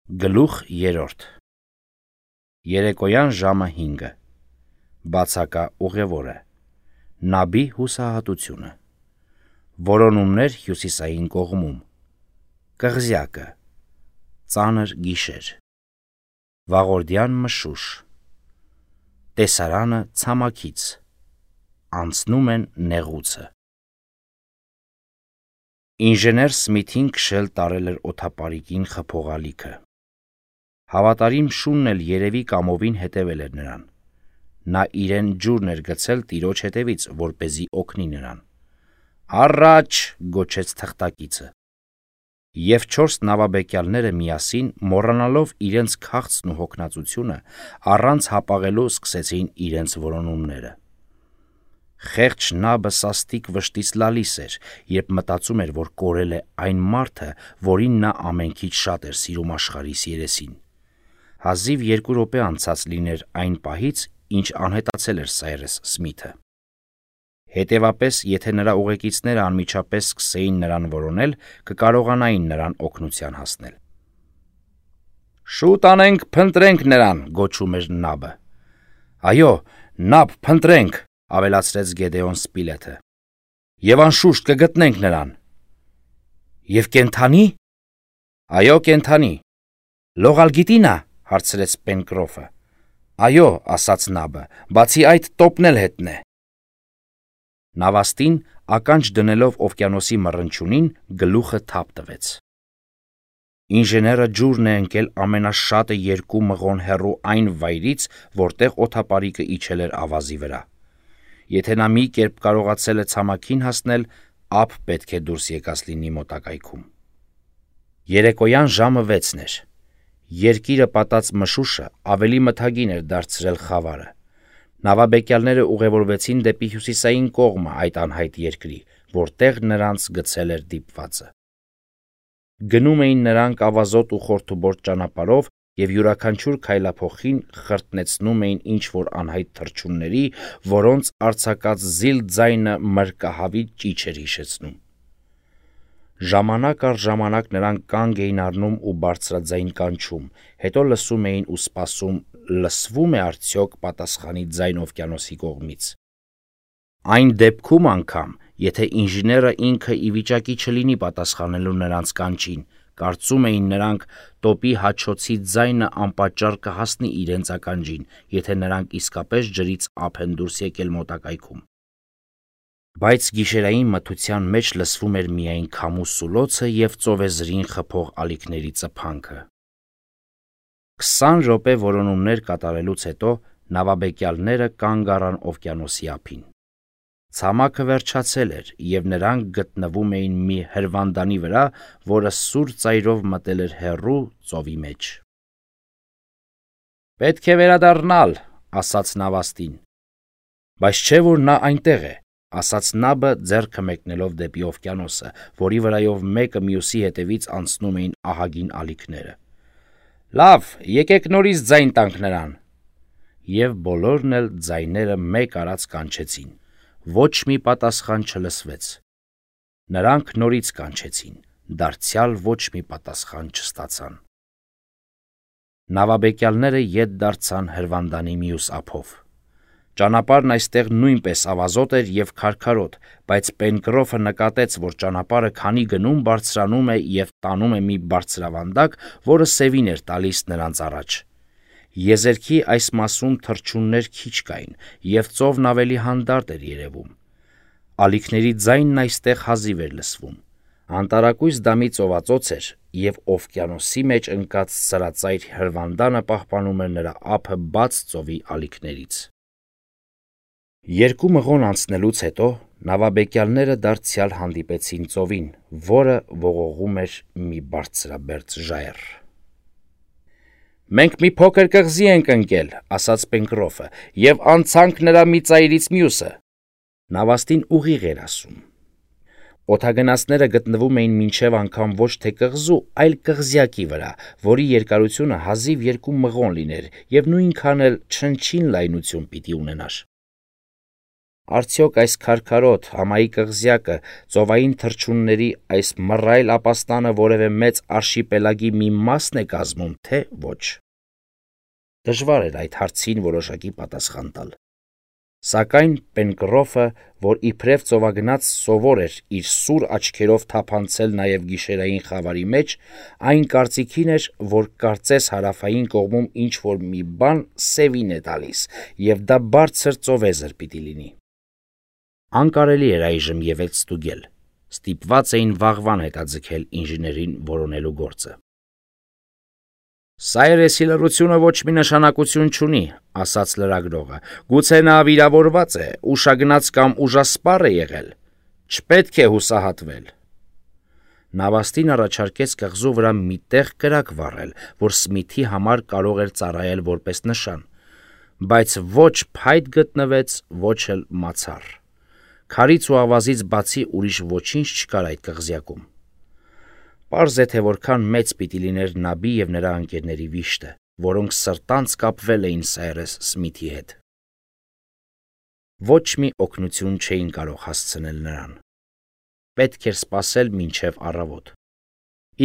Գլուխ 3 Երեկոյան ժամը 5 Բացակա ուղևորը Նաբի հուսահատությունը Որոնումներ հյուսիսային կողմում Կղզյակը Ծանր գիշեր Վաղորդյան մշուշ Տեսարանը ցամաքից Անցնում են նեղուցը Ինժեներ Սմիթին քշել տարել էր օդապարիկին խփողալիքը Հավատարիմ շունն էլ երևի կամովին հետևել էր նրան Նա իրեն ջուրն էր գցել տիրոջ հետևից, որպեսզի օգնի նրան Առաջ գոչեց թղթակիցը Եվ 4 նավաբեկյալները միասին, մոռանալով իրենց քաղցն ու հոգնածությունը, առանց հապաղելու սկսեցին իրենց որոնումները Խեղճ նաբը սաստիկ վշտից լալիս էր, երբ մտածում էր, որ կորել է այն մարդը, որին նա ամենքից շատ էր սիրում աշխարհիս երեսին Հազիվ 2 րոպե անցած լիներ այն պահից, ինչ անհետացել էր Սայրես Սմիթը Հետևապես, եթե նրա ուղեկիցները անմիջապես սկսեին նրան որոնել, կկարողանային նրան օգնության հասնել Շուտ անենք, փնտրենք նրան, գոչում էր նաբը Այո, նաբ, փնտրենք, ավելացրեց Գեդեոն Սպիլեթը Եվ անշուշտ կգտնենք նրան Եվ կենթանի՞: Այո, կենթանի Լողալ գիտի՞ նա, հարցրեց Պենկրոֆը Այո, ասաց նաբը, բացի այդ տոպն էլ հետն է Նավաստին, ականջ դնելով օվկիանոսի մռնչյունին, գլուխը թափ տվեց Ինժեները ջուրն է ընկել ամենաշատը 2 մղոն հեռու այն վայրից, որտեղ օդապարիկը իջել էր ավազի վրա Եթե նա մի կերպ կարողացել է ցամաքին հասնել, ապ պետք է դուրս եկած լինի մոտակայքում Երեկոյան ժամը 6 էր Երկիրը պատած մշուշը ավելի մթագին էր դարձրել խավարը Նավաբեկյալները ուղևորվեցին դեպի հյուսիսային կողմը այդ անհայտ երկրի, որտեղ նրանց գցել էր դիպվածը Գնում էին նրանք ավազոտ ու խորթուբորտ ճանապարհով և յուրաքանչյուր քայլափոխին խրտնեցնում էին ինչ-որ անհայտ թռչունների, որոնց արձակած զիլ ձայնը մրրկահավի ճիչ էր հիշեցնում Ժամանակ առ ժամանակ նրանք կանգ էին առնում ու բարձրաձայն կանչում, հետո լսում էին ու սպասում լսվո՞ւմ է արդյոք պատասխանի ձայն օվկիանոսի կողմից Այն դեպքում անգամ, եթե ինժեները ինքը ի վիճակի չլինի պատասխանելու նրանց կանչին, կարծում էին նրանք, տոպի հաչոցի ձայնը անպատճառ կհասնի իրենց ականջին, եթե նրանք իսկապես ջրից ափ են դուրս եկել մոտակայքում Բայց գիշերային մթության մեջ լսվում էր միայն քամու սուլոցը և ծովեզրին խփող ալիքների ծփանքը 20 րոպե որոնումներ կատարելուց հետո նավաբեկյալները կանգ առան օվկիանոսի ափին Ցամաքը վերջացել էր, և նրանք գտնվում էին մի հրվանդանի վրա, որը սուր ծայրով մտել էր հեռու ծովի մեջ Պետք է վերադառնալ, ասաց նավաստին Բայց չէ՞ որ նա այնտեղ է, ասաց նաբը ձեռքը մեկնելով դեպի օվկիանոսը, որի վրայով մեկը մյուսի հետևից անցնում էին ահագին ալիքները Լավ, եկեք նորից ձայն տանք նրան Եվ բոլորն էլ ձայները մեկ արած կանչեցին Ոչ մի պատասխան չլսվեց Նրանք նորից կանչեցին Դարձյալ ոչ մի պատասխան չստացան Նավաբեկյալները ետ դարձան հրվանդանի մյուս ափով Ճանապարհն այստեղ նույնպես ավազոտ էր և քարքարոտ, բայց Պենկրոֆը նկատեց, որ ճանապարհը քանի գնում բարձրանում է և տանում է մի բարձրավանդակ, որը սևին էր տալիս նրանց առաջ Եզերքի այս մասում թռչուններ քիչ կային, և ծովն ավելի հանդարտ էր երևում Ալիքների ձայնն այստեղ հազիվ էր լսվում Անտարակույս դամի ծովածոց էր, և օվկիանոսի մեջ ընկած սրածայր հրվանդանը պահպանում էր նրա ափը բաց ծովի ալիքներից 2 մղոն անցնելուց հետո նավաբեկյալները դարձյալ հանդիպեցին ծովին, որը ողողում էր մի բարձրաբերձ ժայռ Մենք մի փոքր կղզի ենք ընկել, ասաց Պենկրոֆը, և անցանք նրա մի ծայրից մյուսը Նավաստին ուղիղ էր ասում Օդագնացները գտնվում էին մինչև անգամ ոչ թե կղզու, այլ կղզյակի վրա, որի երկարությունը հազիվ 2 մղոն լիներ և նույնքան էլ չնչին լայնություն պիտի ունենար Արդյոք այս քարքարոտ համայի կղզյակը ծովային թռչունների այս մռայլ ապաստանը որևէ մեծ արշիպելագի մի մասն է կազմում, թե ոչ։ Դժվար էր այդ հարցին որոշակի պատասխան տալ։ Սակայն Պենկրոֆը, որ իբրև ծովագնաց սովոր էր իր սուր աչքերով թափանցել նաև գիշերային խավարի մեջ, այն կարծիքին էր, որ կարծես հարավային կողմում ինչ-որ մի բան սևին է տալիս, և դա բարձր ծովեզր պիտի լինի։ Անկարելի էր այժմ ևեթ ստուգել, ստիպված էին վաղվան հետաձգել ինժեներին որոնելու գործը։ «Սայրեսի լռությունը ոչ մի նշանակություն չունի», ասաց լրագրողը, «գուցե նա վիրավորված է, ուշագնաց կամ ուժասպառ է եղել, չպետք է հուսահատվել»։ Նավաստին առաջարկեց կղզու վրա մի տեղ կրակ վառել, որ Սմիթի համար կարող էր ծառայել որպես նշան, բայց ոչ փայտ գտնվեց, ոչ էլ մացառ։ Քարից ու ավազից բացի ուրիշ ոչինչ չկար այդ կղզյակում։ Պարզ է, թե որքան մեծ պիտի լիներ Նաբի և նրա ընկերների վիշտը, որոնք սրտանց կապվել էին Սայրես Սմիթի հետ։ Ոչ մի օգնություն չէին կարող հասցնել նրան։ Պետք էր սպասել մինչև առավոտ։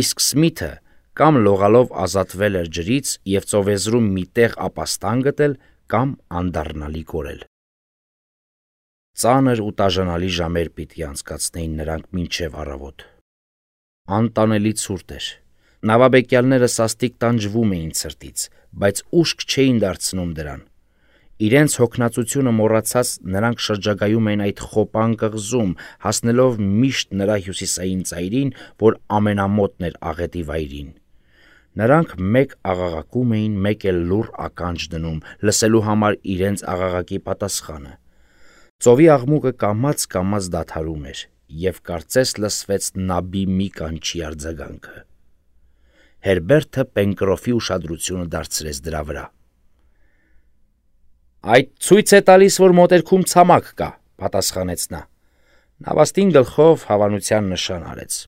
Իսկ Սմիթը կամ լողալով ազատվել էր ջրից և ծովեզրում մի տեղ ապաստան գտել, կամ անդառնալի կորել։ Ծանր ու տաժանալի ժամեր պիտի անցկացնեին նրանք մինչև առավոտ։ Անտանելի ցուրտ էր։ Նավաբեկյալները սաստիկ տանջվում էին ցրտից, բայց ուշք չէին դարձնում դրան։ Իրենց հոգնածությունը մոռացած նրանք շրջագայում էին այդ խոպան կղզում, հասնելով միշտ նրա հյուսիսային ծայրին, որ ամենամոտն էր աղետի վայրին։ Նրանք մեկ աղաղակում էին, մեկ էլ լուռ ականջ դնում, լսելու համար իրենց աղաղակի պատասխանը։ Ծովի աղմուկը կամաց-կամաց դադարում էր, և կարծես լսվեց Նաբի մի կանչի արձագանքը։ Հերբերտը Պենկրոֆի ուշադրությունը դարձրեց դրա վրա։ «Այդ ցույց է տալիս, որ մոտերքում ցամաք կա», պատասխանեց նա։ Նավաստին գլխով հավանության նշան արեց։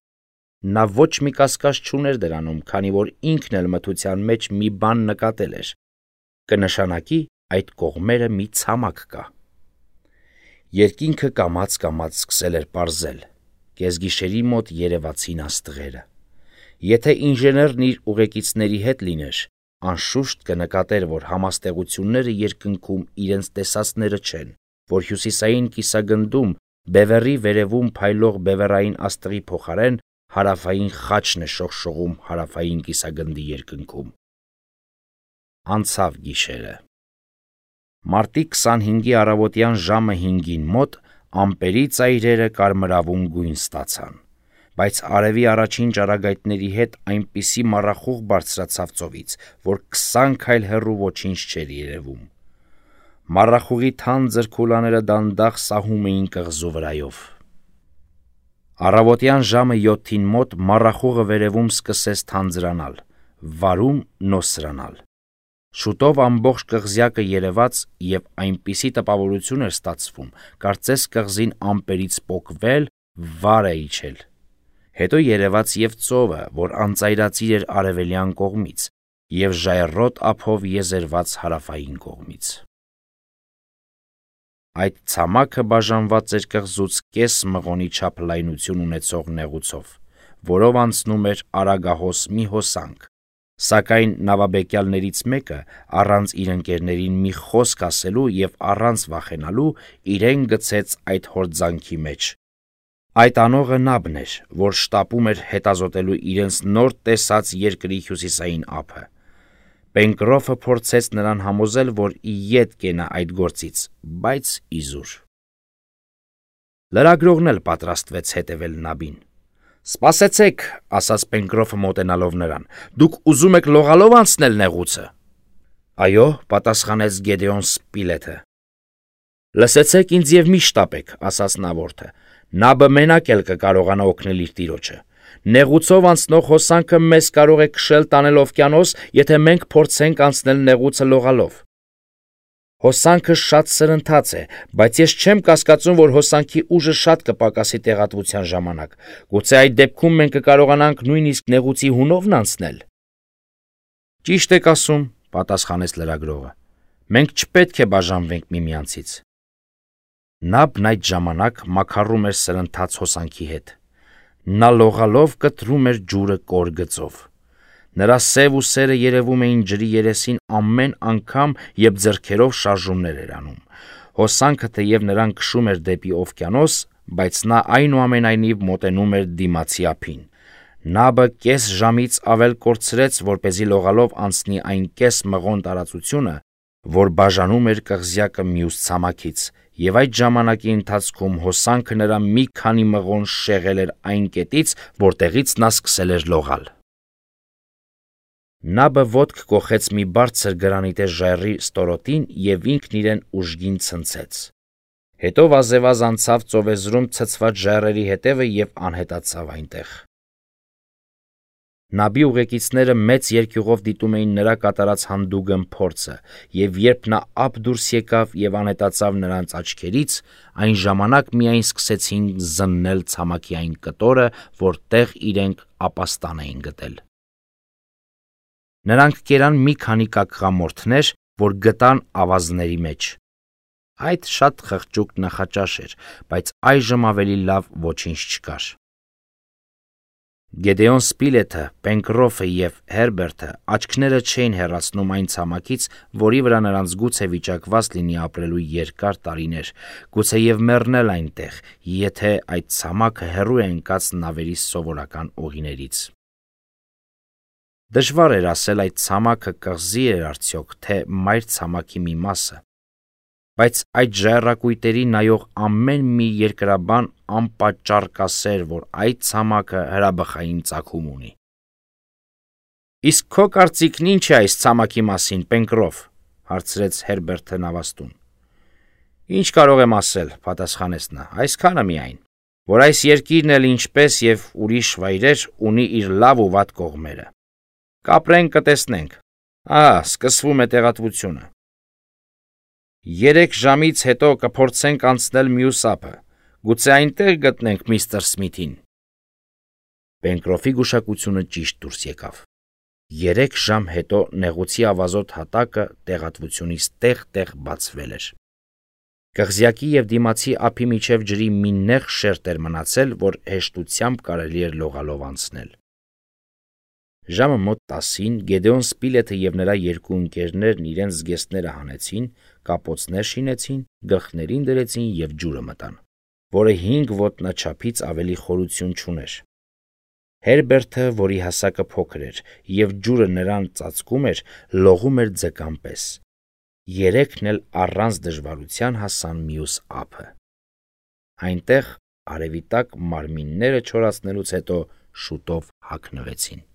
Նա ոչ մի կասկած չուներ դրանում, քանի որ ինքն էլ մթության մեջ մի բան նկատել էր։ Կնշանակի այդ կողմերը մի ցամաք կա։ Երկինքը կամաց-կամաց սկսել էր պարզել։ Կեսգիշերի մոտ երևացին աստղերը։ Եթե ինժեներն իր ուղեկիցների հետ լիներ, անշուշտ կնկատեր, որ համաստեղությունները երկնքում իրենց տեսածները չեն, որ հյուսիսային կիսագնդում բևեռի վերևում փայլող բևեռային աստղի փոխարեն հարավային խաչն է շողշողում հարավային կիսագնդի երկնքում։ Անցավ գիշերը։ Մարտի 25-ի առավոտյան ժամը 5-ին մոտ ամպերի ծայրերը կարմրավուն գույն ստացան, բայց արևի առաջին ճառագայթների հետ այնպիսի մառախուղ բարձրացավ ծովից, որ 20 քայլ հեռու ոչինչ չէր երևում։ Մառախուղի թանձր քուլաները դանդաղ սահում էին կղզու վրայով։ Առավոտյան ժամը 7-ին մոտ մառախուղը վերևում սկսեց թանձրանալ, վարում նոսրանալ։ Շուտով ամբողջ կղզյակը երևաց և այնպիսի տպավորություն էր ստացվում, կարծես կղզին ամպերից պոկվել, վար է իջել։ Հետո երևաց և ծովը, որ անծայրածիր էր արևելյան կողմից և ժայռոտ ափով եզերված հարավային կողմից։ Այդ ցամաքը բաժանված էր կղզուց կես մղոնի չափ լայնություն ունեցող նեղուցով, որով անցնում էր արագահոս մի հոսանք, սակայն նավաբեկյալներից մեկը, առանց իր ընկերներին մի խոսք ասելու և առանց վախենալու, իրեն գցեց այդ հորձանքի մեջ։ Այդ անողը Նաբն էր, որ շտապում էր հետազոտելու իրենց նոր տեսած երկրի հյուսիսային ափը։ Պենկրոֆը փորձեց նրան համոզել, որ ի ետ կենա այդ գործից, բայց իզուր։ Լրագրողն էլ պատրաստվեց հետևել Նաբին։ «Սպասեցեք», ասաց Պենկրոֆը մոտենալով նրան, «դուք ուզում եք լողալով անցնել նեղուցը»։ «Այո», պատասխանեց Գեդեոն Սպիլեթը։ «Լսեցեք ինձ և մի շտապեք», ասաց նավորդը, «Նաբը մենակ էլ կկարողանա օգնել իր տիրոջը։ Նեղուցով անցնող հոսանքը մեզ կարող է քշել տանել օվկիանոս, եթե մենք փորձենք անցնել նեղուցը լողալով։ Հոսանքը շատ սրընթաց է, բայց ես չեմ կասկածում, որ հոսանքի ուժը շատ կպակասի տեղատվության ժամանակ։ Գուցե այդ դեպքում մենք կկարողանանք նույնիսկ նեղուցի հունովն անցնել»։ «Ճիշտ եք ասում», պատասխանեց լրագրողը։ «Մենք չպետք է բաժանվենք միմյանցից»։ Նաբն այդ ժամանակ մաքարում էր սրընթաց հոսանքի հետ։ Նա լողալով կտրում էր ջուրը կոր գծով։ Նրա սև ուսերը երևում էին ջրի երեսին ամեն անգամ, երբ ձեռքերով շարժումներ էր անում։ Հոսանքը թեև նրան քշում էր դեպի օվկիանոս, բայց նա այնուամենայնիվ մոտենում էր դիմացի ափին։ Նաբը կես ժամից ավել կորցրեց, որպեսզի լողալով անցնի այն կես մղոն տարածությունը, որ բաժանում էր կղզյակը մյուս ցամաքից, եւ այդ ժամանակի ընթացքում հոսանքը նրա մի քանի մղոն շեղել էր այն կետից, որտեղից նա սկսել էր լողալ։ Նաբը ոտք կոխեց մի բարձր գրանիտե ժայռի ստորոտին եւ ինքն իրեն ուժգին ցնցեց։ Հետո վազեվազ անցավ ծովեզրում ցցված ժայռերի հետևը եւ անհետացավ այնտեղ։ Նաբի ուղեկիցները մեծ երկյուղով դիտում էին նրա կատարած հանդուգն փորձը, եւ երբ նա ափ դուրս եկավ եւ անհետացավ նրանց աչքերից, այն ժամանակ միայն սկսեցին զննել ցամաքի այն կտորը, որտեղ իրենք ապաստան էին գտել։ Նրանք կերան մի քանի կակղամորթներ, որ գտան ավազների մեջ։ Այդ շատ խղճուկ նախաճաշ էր, բայց այժմ ավելի լավ ոչինչ չկար։ Գեդեոն Սպիլեթը, Պենկրոֆը եւ Հերբերտը աչքները չէին հեռացնում այն ցամաքից, որի վրա նրանց գուցե վիճակված լինի ապրելու երկար տարիներ, գուցե եւ մեռնել այնտեղ, եթե այդ ցամաքը հեռու է ընկած նավերի սովորական ուղիներից։ Դժվար էր ասել այդ ցամաքը կղզի էր արդյոք, թե մայր ցամաքի մի մասը, բայց այդ ժայռակույտերի նայող ամեն մի երկրաբան անպատճառ կասեր, որ այդ ցամաքը հրաբխային ծագում ունի։ Իսկ քո կարծիքն ինչ է այս ցամաքի մասին, Պենկրոֆ, հարցրեց Հերբերտը նավաստուն։ Ինչ կարող եմ ասել, պատասխանեց նա, այսքանը միայն, որ այս երկիրն էլ ինչպես եւ ուրիշ վայրեր ունի իր լավ ու վատ կողմերը։ Կապրենք, կտեսնենք։ Սկսվում է տեղատվությունը։ 3 ժամից հետո կփորձենք անցնել մյուս ափը։ Գուցե այնտեղ գտնենք միստր Սմիթին։ Պենկրոֆի գուշակությունը ճիշտ դուրս եկավ։ 3 ժամ հետո նեղուցի ավազոտ հատակը տեղատվությունից տեղ-տեղ բացվել էր։ Կղզյակի եւ դիմացի ափի միջև ջրի մի նեղ շերտ էր մնացել, որ հեշտությամբ կարելի էր լողալով անցնել։ Ժամը մոտ 10-ին Գեդեոն Սպիլեթը եւ նրա երկու ընկերներն իրենց զգեստները հանեցին, կապոցներ շինեցին, գլխներին դրեցին եւ ջուրը մտան, որը 5 ոտնաչափից ավելի խորություն չուներ։ Հերբերտը, որի հասակը փոքր էր եւ ջուրը նրան ծածկում էր, լողում էր ձկան պես։ 3-ն էլ առանց դժվարության հասան մյուս ափը։ Այնտեղ արևի տակ մարմինները չորացնելուց հետո շուտով հագնվեցին։